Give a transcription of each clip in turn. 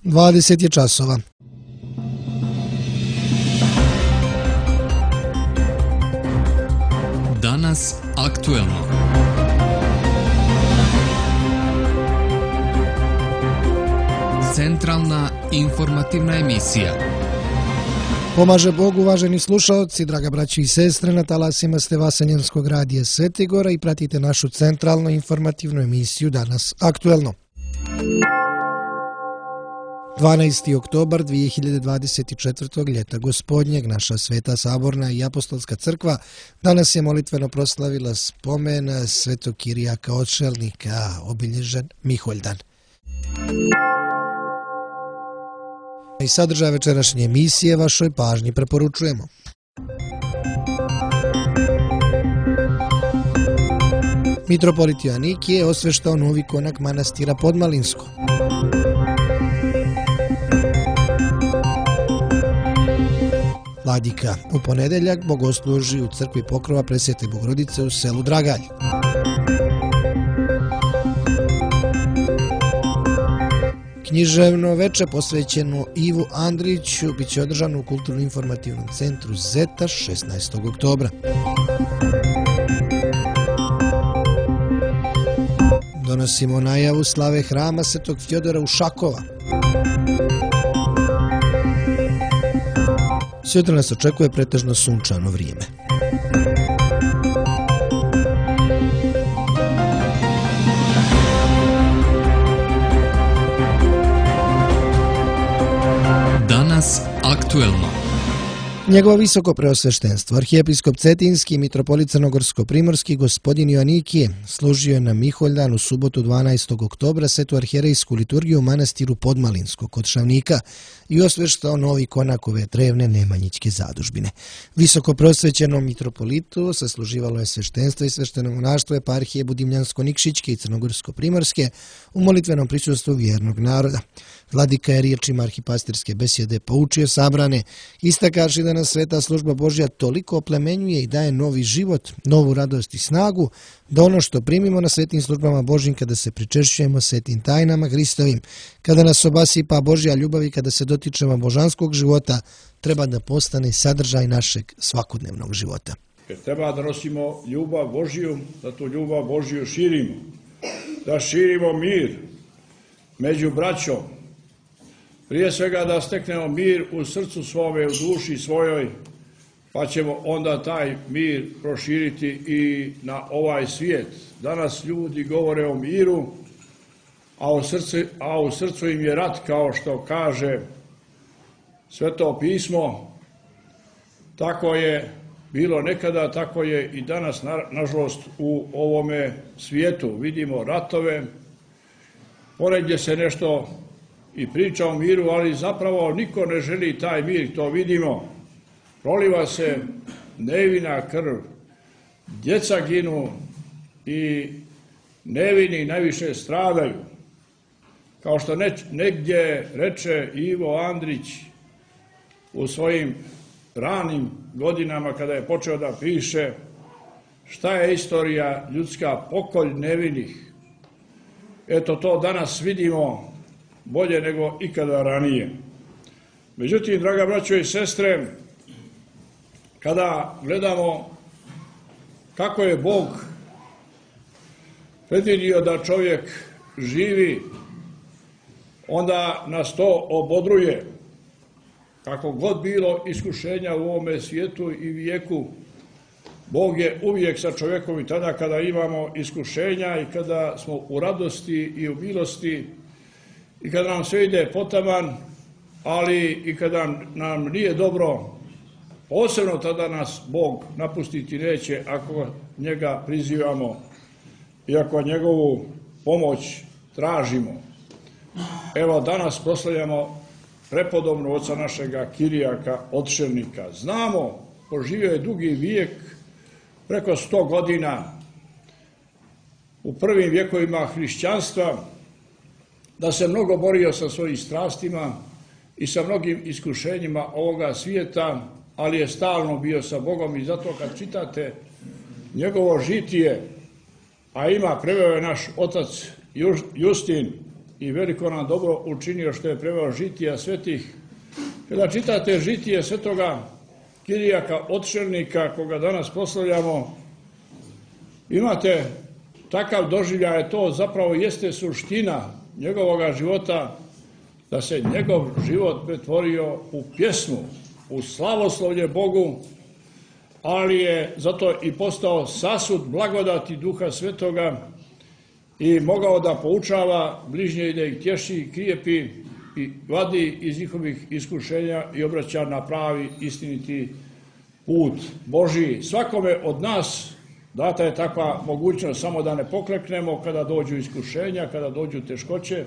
20 je časova. Danas aktuelno. Centralna informativna emisija. Pomaže Bog, uvaženi slušaoci, draga braći i sestre, na talasima ste Vaseljenskog radija Svetigora i pratite našu centralnu informativnu emisiju Danas aktuelno. 12. oktobar 2024. ljeta gospodnjeg, naša Sveta Saborna i Apostolska crkva danas je molitveno proslavila spomen Svetog Kirijaka Odšelnika, obilježen Miholjdan. I sadržaj večerašnje emisije vašoj pažnji preporučujemo. Mitropolit Joanikije je osveštao novi konak manastira Podmalinsko. Vladika u ponedeljak bogosluži u crkvi Pokrova Presvete Bogorodice u selu Dragalj. Književno veče posvećeno Ivu Andriću bit će održano u Kulturno-informativnom centru Zeta 16. oktobra. Donosimo najavu slave hrama Svetog Fjodora u Šakova. Sutra nas očekuje pretežno sunčano vrijeme. Danas aktuelno. Njegovo visoko preosveštenstvo, arhijepiskop Cetinski i mitropolit Crnogorsko-primorski gospodin Joanikije služio je na Miholjdan u subotu 12. oktobra svetu arhijerejsku liturgiju u manastiru Podmalinsko kod Šavnika i osveštao novi konak ove drevne nemanjićke zadužbine. Visoko preosvećenom mitropolitu sasluživalo je sveštenstvo i svešteno monaštvo eparhije Budimljansko-Nikšićke i Crnogorsko-primorske u molitvenom prisustvu vjernog naroda. Vladika je riječima arhipastirske besjede poučio sabrane, istakaši da nas sveta služba Božja toliko oplemenjuje i daje novi život, novu radost i snagu, da ono što primimo na svetim službama Božjim kada se pričešćujemo svetim tajnama Hristovim, kada nas obasipa Božja ljubav i kada se dotičemo božanskog života, treba da postane sadržaj našeg svakodnevnog života. Jer treba da nosimo ljubav Božju, da tu ljubav Božju širimo, da širimo mir među braćom, prije svega da steknemo mir u srcu svome, u duši svojoj, pa ćemo onda taj mir proširiti i na ovaj svijet. Danas ljudi govore o miru, a u srcu im je rat, kao što kaže Sveto pismo. Tako je bilo nekada, tako je i danas, nažalost, u ovome svijetu. Vidimo ratove, ponegdje se nešto i priča o miru, ali zapravo niko ne želi taj mir, to vidimo. Proliva se nevina krv, djeca ginu i nevini najviše stradaju. Kao što negdje reče Ivo Andrić u svojim ranim godinama kada je počeo da piše šta je istorija ljudska, pokolj nevinih. Eto to danas vidimo bolje nego ikada ranije. Međutim, draga braćo i sestre, kada gledamo kako je Bog predvidio da čovjek živi, onda nas to obodruje. Kako god bilo iskušenja u ovome svijetu i vijeku, Bog je uvijek sa čovjekom i tada kada imamo iskušenja i kada smo u radosti i u milosti i kada nam sve ide potaman, ali i kada nam nije dobro, posebno tada nas Bog napustiti neće ako njega prizivamo i ako njegovu pomoć tražimo. Evo danas proslavljamo prepodobno oca našega Kirijaka Odšelnika. Znamo, poživio je dugi vijek, preko 100 godina, u prvim vjekovima hrišćanstva, da se mnogo borio sa svojim strastima i sa mnogim iskušenjima ovoga svijeta, ali je stalno bio sa Bogom i zato kad čitate njegovo žitije, a preveo je naš otac Justin i veliko nam dobro učinio što je preveo žitija svetih. Kada čitate žitije svetoga Kirijaka Otšelnika, koga danas proslavljamo, imate takav doživljaj, to zapravo jeste suština njegovoga života, da se njegov život pretvorio u pjesmu, u slavoslovlje Bogu, ali je zato i postao sasud blagodati Duha Svetoga i mogao da poučava bližnje i da ih tješi, krijepi i vadi iz njihovih iskušenja i obraća na pravi istiniti put Božji. Svakome od nas data je takva mogućnost, samo da ne pokleknemo kada dođu iskušenja, kada dođu teškoće.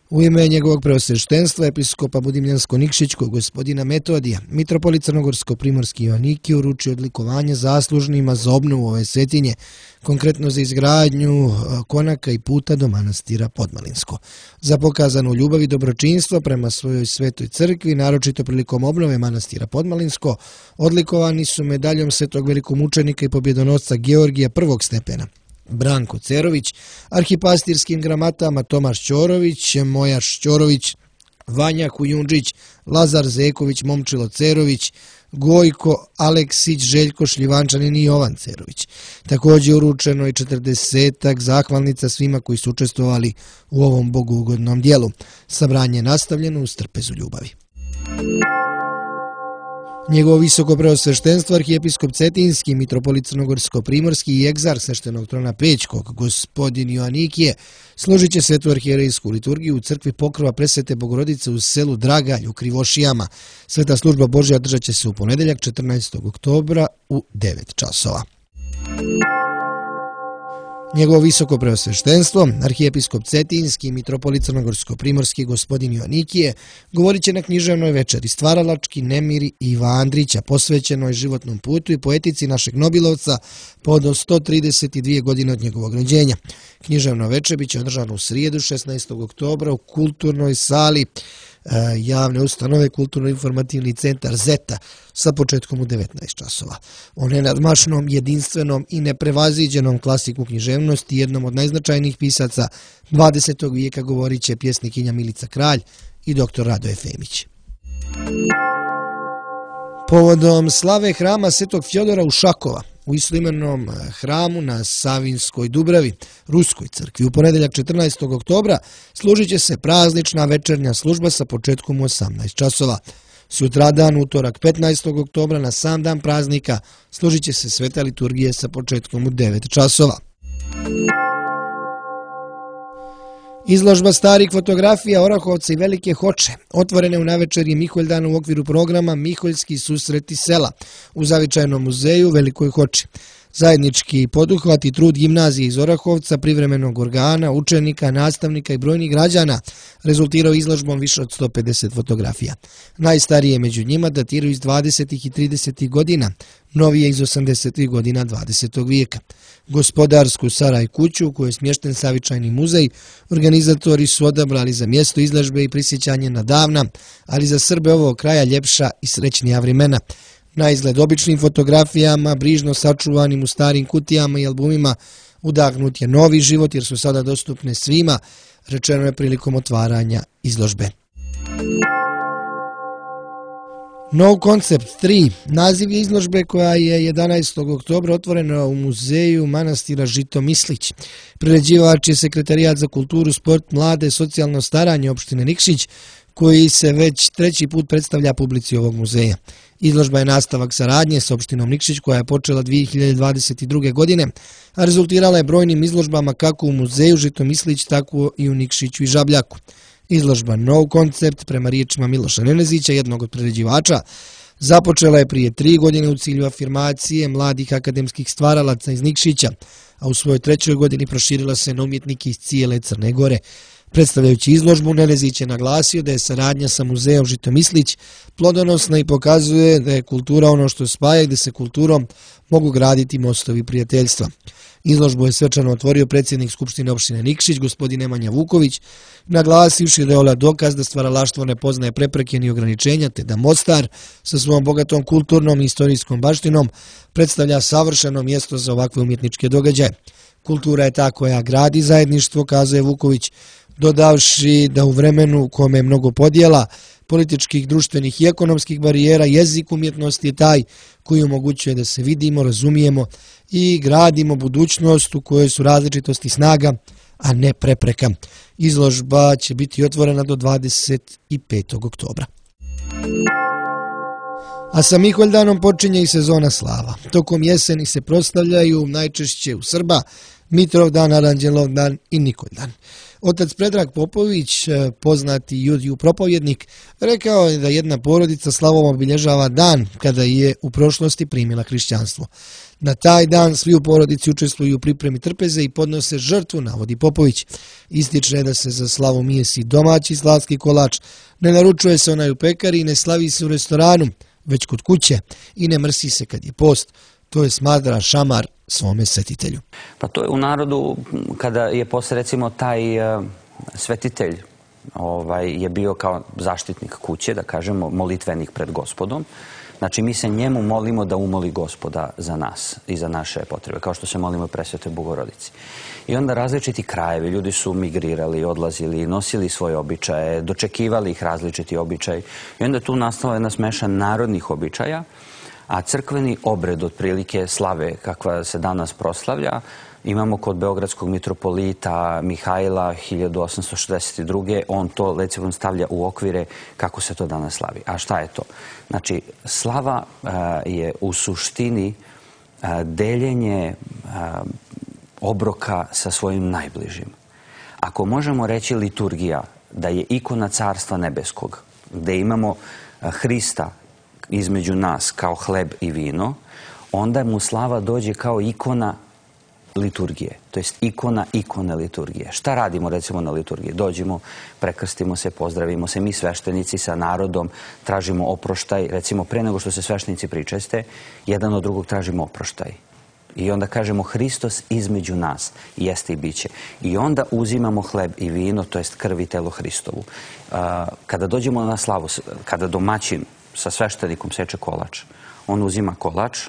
U ime njegovog preosveštenstva episkopa Budimljansko-Nikšićkog gospodina Metodija, mitropolit Crnogorsko-Primorski Joanikije uručio odlikovanje zaslužnima za obnovu ove svetinje, konkretno za izgradnju konaka i puta do manastira Podmalinsko. Za pokazanu ljubav i dobročinstvo prema svojoj svetoj crkvi, naročito prilikom obnove manastira Podmalinsko, odlikovani su medaljom svetog velikomučenika i pobjedonosca Georgija prvog stepena Branko Cerović, arhipastirskim gramatama Tomaš Ćorović, Mojaš Ćorović, Vanja Kujundžić, Lazar Zeković, Momčilo Cerović, Gojko Aleksić, Željko Šljivančanin i Jovan Cerović. Također je uručeno i 40 zahvalnica svima koji su učestvovali u ovom bogougodnom dijelu. Sabranje je nastavljeno uz trpezu ljubavi. Njegovo visoko preosveštenstvo arhijepiskop Cetinski, mitropolit Crnogorsko-Primorski i egzarh sveštenog trona Pećkog, gospodin Joanikije, složit će svetu arhijerejsku liturgiju u crkvi Pokrova Presvete Bogorodice u selu Dragalj u Krivošijama. Sveta služba Božja održat će se u ponedjeljak 14. oktobra u 9 časova. Njegovo visoko preosveštenstvo, arhijepiskop Cetinski, mitropolit Crnogorsko-Primorski gospodin Joanikije, govorit će na književnoj večeri Stvaralački nemiri Iva Andrića, posvećenoj životnom putu i poetici našeg Nobilovca povodom 132 godine od njegovog rođenja. Književno večer biće održano u srijedu 16. oktobra u kulturnoj sali javne ustanove Kulturno-informativni centar Zeta sa početkom u 19 časova. O nenadmašnom, jedinstvenom i neprevaziđenom klasiku književnosti, jednom od najznačajnijih pisaca 20. vijeka, govorit će pjesnikinja Milica Kralj i dr. Radoje Femić. Povodom slave hrama Svetog Fjodora u Šakova, u istoimenom hramu na Savinskoj Dubravi, Ruskoj crkvi, u ponedjeljak 14. oktobra služit će se praznična večernja služba sa početkom u 18 časova. Sutradan, utorak 15. oktobra, na sam dan praznika, služit će se sveta liturgija sa početkom u 9 časova. Izložba starih fotografija Orahovca i Velike Hoče, otvorene u navečerji Miholjdana u okviru programa Miholjski susreti sela u zavičajnom muzeju Velikoj Hoči. Zajednički poduhvat i trud gimnazije iz Orahovca, privremenog organa, učenika, nastavnika i brojnih građana rezultirao izložbom više od 150 fotografija. Najstarije među njima datiraju iz 20. i 30. godina, novije iz 80. godina 20. vijeka. Gospodarsku Saraj kuću, u kojoj je smješten savičajni muzej, organizatori su odabrali za mjesto izložbe i prisjećanje na davna, ali za Srbe ovog kraja ljepša i srećnija vremena. Na izgled običnim fotografijama, brižno sačuvanim u starim kutijama i albumima, udahnut je novi život jer su sada dostupne svima, rečeno je prilikom otvaranja izložbe. No Concept 3, naziv je izložbe koja je 11. oktobra otvorena u muzeju manastira Žito Mislić. Priređivač je Sekretarijat za kulturu, sport, mlade, socijalno staranje opštine Nikšić, koji se već treći put predstavlja publici ovog muzeja. Izložba je nastavak saradnje s opštinom Nikšić koja je počela 2022. godine, a rezultirala je brojnim izložbama kako u muzeju Žito Mislić, tako i u Nikšiću i Žabljaku. Izložba No Concept, prema riječima Miloša Nenezića, jednog od priređivača, započela je prije 3 godine u cilju afirmacije mladih akademskih stvaralaca iz Nikšića, a u svojoj 3. godini proširila se na umjetnike iz cijele Crne Gore. Predstavljajući izložbu, Nenezić je naglasio da je saradnja sa muzejom Žito Mislić plodonosna i pokazuje da je kultura ono što spaja i da se kulturom mogu graditi mostovi prijateljstva. Izložbu je svečano otvorio predsjednik Skupštine opštine Nikšić, gospodin Nemanja Vuković, naglasivši da je ovo dokaz da stvaralaštvo ne poznaje prepreke ni ograničenja, te da Mostar sa svojom bogatom kulturnom i istorijskom baštinom predstavlja savršeno mjesto za ovakve umjetničke događaje. Kultura je ta koja gradi zajedništvo, kazuje Vuković, dodavši da u vremenu u kome je mnogo podjela, političkih, društvenih i ekonomskih barijera, jezik umjetnosti je taj koji omogućuje da se vidimo, razumijemo i gradimo budućnost u kojoj su različitosti snaga, a ne prepreka. Izložba će biti otvorena do 25. oktobra. A sa Miholjdanom počinje i sezona slava. Tokom jeseni se proslavljaju najčešće u Srba Mitrovdan, Aranđelovdan i Nikoljdan. Otac Predrag Popović, poznati judiju propovjednik, rekao je da jedna porodica slavom obilježava dan kada je u prošlosti primila hrišćanstvo. Na taj dan svi u porodici učestvuju u pripremi trpeze i podnose žrtvu, navodi Popović. Ističe da se za slavu mijesi domaći slavski kolač, ne naručuje se onaj u pekari i ne slavi se u restoranu, već kod kuće i ne mrsi se kad je post. To je smatra šamar svome svetitelju. Pa to je u narodu, kada je posle recimo taj svetitelj je bio kao zaštitnik kuće, da kažemo, molitvenik pred Gospodom. Znači mi se njemu molimo da umoli Gospoda za nas i za naše potrebe, kao što se molimo Presvetoj Bogorodici. I onda različiti krajevi, ljudi su migrirali, odlazili, nosili svoje običaje, dočekivali ih različiti običaj. I onda tu nastala jedna smeša narodnih običaja, a crkveni obred otprilike slave kakva se danas proslavlja imamo kod beogradskog mitropolita Mihajla 1862. On to recimo stavlja u okvire kako se to danas slavi. A šta je to? Znači, slava je u suštini deljenje obroka sa svojim najbližim. Ako možemo reći liturgija da je ikona Carstva nebeskog, gde imamo Hrista između nas kao hleb i vino, onda mu slava dođe kao ikona liturgije, to jest ikone liturgije. Šta radimo recimo na liturgiji? Dođemo, prekrstimo se, pozdravimo se, mi sveštenici sa narodom tražimo oproštaj, recimo pre nego što se sveštenici pričeste, jedan od drugog tražimo oproštaj. I onda kažemo Hristos između nas jeste i biće. I onda uzimamo hleb i vino, to jest krv i telo Hristovu. Kada dođemo na slavu, kada domaćin sa sveštenikom seče kolač, on uzima kolač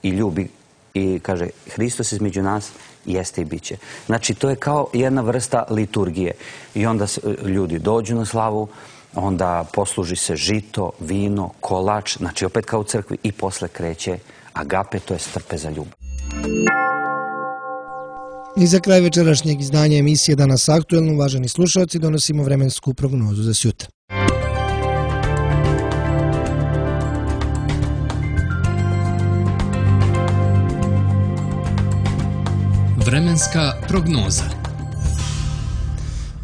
i ljubi i kaže Hristos između nas jeste i biće. Znači to je kao jedna vrsta liturgije. I onda ljudi dođu na slavu, onda posluži se žito, vino, kolač, znači opet kao u crkvi i posle kreće agape, to je strpe za ljubav. I za kraj večerašnjeg izdanja emisije Danas aktuelno, uvaženi slušalci, donosimo vremensku prognozu za sutra. Vremenska prognoza.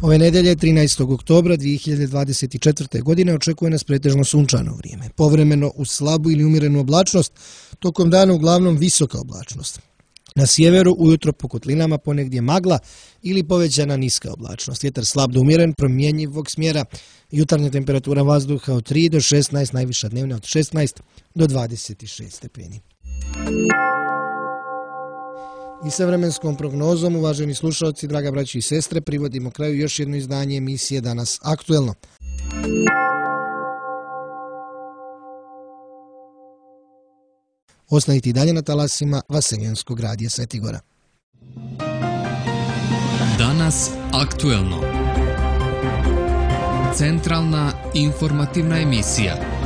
Ove nedelje, 13. oktobra 2024. godine, očekuje nas pretežno sunčano vrijeme. Povremeno uz slabu ili umjerenu oblačnost, tokom dana uglavnom visoka oblačnost. Na sjeveru ujutro po kotlinama ponegdje magla ili povećana niska oblačnost. Vjetar slab do umjeren, promjenjivog smjera. Jutarnja temperatura vazduha od 3 do 16, najviša dnevna od 16 do 26 stepeni. I sa vremenskom prognozom, uvaženi slušalci, draga braći i sestre, privodimo kraju još jedno izdanje emisije Danas aktuelno. Ostanite i dalje na talasima Vaseljenskog radija Svetigora. Danas aktuelno. Centralna informativna emisija.